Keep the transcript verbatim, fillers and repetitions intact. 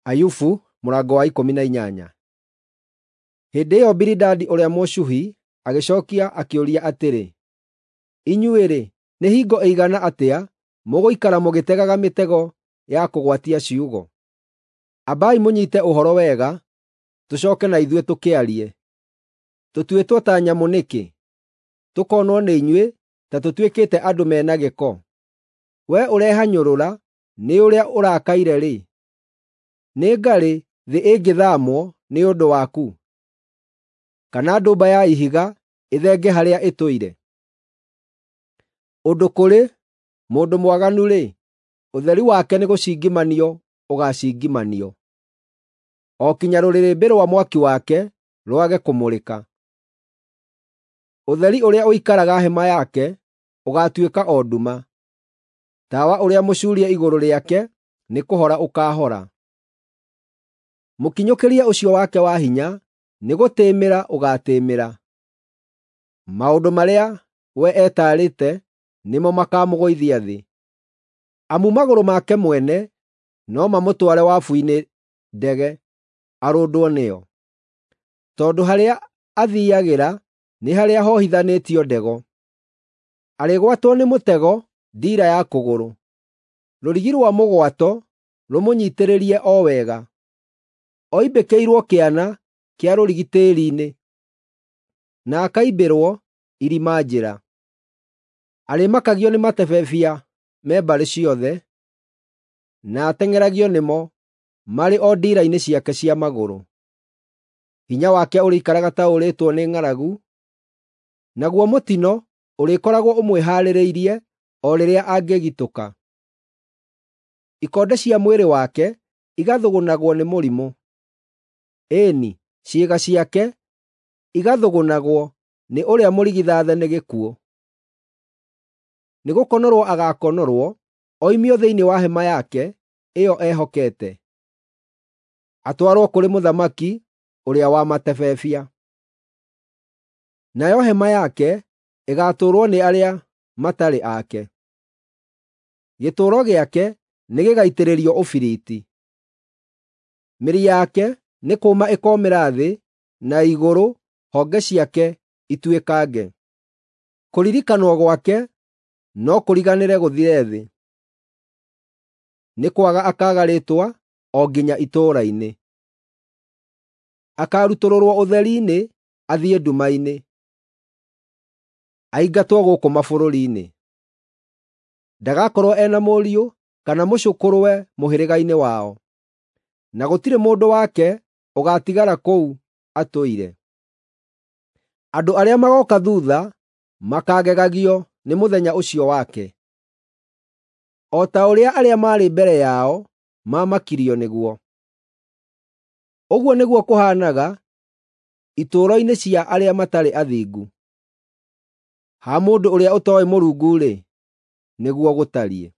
Ayubu mũrango wa ikũmi na inyanya. Hĩndĩ ĩyo Bilidadi ũrĩa Mũshuhi agĩcookia akĩũria atĩrĩ, “Inyuĩ-rĩ, nĩ hingo ĩigana atĩa mũgũikara mũgĩtegaga mĩtego ya kũgwatia ciugo? Ambai mũnyiite ũhoro wega, tũcooke na ithuĩ tũkĩarie. Tũtuĩtwo ta nyamũ nĩkĩ, tũkonwo nĩ inyuĩ ta tũtuĩkĩte andũ me na gĩko? Wee ũrehanyũrũra nĩ ũrĩa ũrakaire-rĩ, nĩ ngarĩ thĩ ĩngĩthaamwo nĩ ũndũ waku, kana ndũmba ya ihiga ĩthenge harĩa ĩtũire? Ũndũ kũrĩ, mũndũ mwaganu-rĩ, ũtheri wake nĩgũcingimanio ũgaacingimanio, o kinya rũrĩrĩmbĩ rwa mwaki wake rwage kũmũrĩka. Ũtheri ũrĩa ũikaraga hema yake ũgaatuĩka o nduma; tawa ũrĩa mũcuurie igũrũ rĩake nĩkũhora ũkaahora. Mũkinyũkĩrie ũcio wake wa hinya nĩgũtĩĩmĩra ũgaatĩĩmĩra; maũndũ marĩa we etaarĩte nĩmo makaamũgũithia thĩ. Amu magũrũ make mwene no mamũtware wabu-inĩ ndege arũndwo nĩyo, tondũ harĩa athiiagĩra nĩ harĩa hohithanĩtio ndego. Arĩgwatwo nĩ mũtego ndiira ya kũgũrũ, rũrigi rwa mũgwato rũmũnyiitĩrĩrie o wega. Oimbĩkĩirwo kĩana kĩa rũrigi tĩĩri-inĩ, na akaimbĩrwo irima njĩra. Arĩmakagio nĩ matebebia me mbarĩ ciothe, na ateng'eragio nĩmo marĩ o ndiira-inĩ ciake cia magũrũ. Hinya wake ũrĩikaraga ta ũũrĩtwo nĩ ng'aragu, naguo mũtino ũrĩkoragwo ũmwĩhaarĩirie o rĩrĩa angĩgitũka. Ikonde cia mwĩrĩ wake igathũgũnagwo nĩ mũrimũ, ĩĩ-ni, ciĩga ciake igathũgũnagwo nĩ ũrĩa mũrigithathe nĩ gĩkuũ. Nĩgũkonorwo agaakonorwo oimio thĩinĩ wa hema yake ĩyo ehokete, atwarwo kũrĩ mũthamaki ũrĩa wa matebebia. Nayo hema yake ĩgaatũũrwo nĩ arĩa matarĩ ake; gĩtũũro gĩake nĩgĩgaitĩrĩrio ũbiriti. Mĩri yake nĩ kũũma ĩkoomĩra thĩ na igũrũ honge ciake ituĩkange. Kũririkanwo gwake no kũriganĩre gũthire thĩ; nĩ kwaga akaaga rĩĩtwa o nginya itũũra-inĩ. Akaarutũrũrwo ũtheri-inĩ athiĩ nduma-inĩ, aingatwo gũkũ mabũrũri-inĩ. Ndagakorwo e na mũriũ kana mũcũkũrũwe mũhĩrĩga-inĩ wao, na gũtirĩ mũndũ wake ũgaatigara kũu atũire. Andũ arĩa magooka thuutha makaagegagio nĩ mũthenya ũcio wake, o ta ũrĩa arĩa maarĩ mbere yao maamakirio nĩguo. Ũguo nĩguo kũhaanaga itũũro-inĩ cia arĩa matarĩ athingu; ha mũndũ ũrĩa ũtooĩ Mũrungu-rĩ, nĩguo gũtariĩ.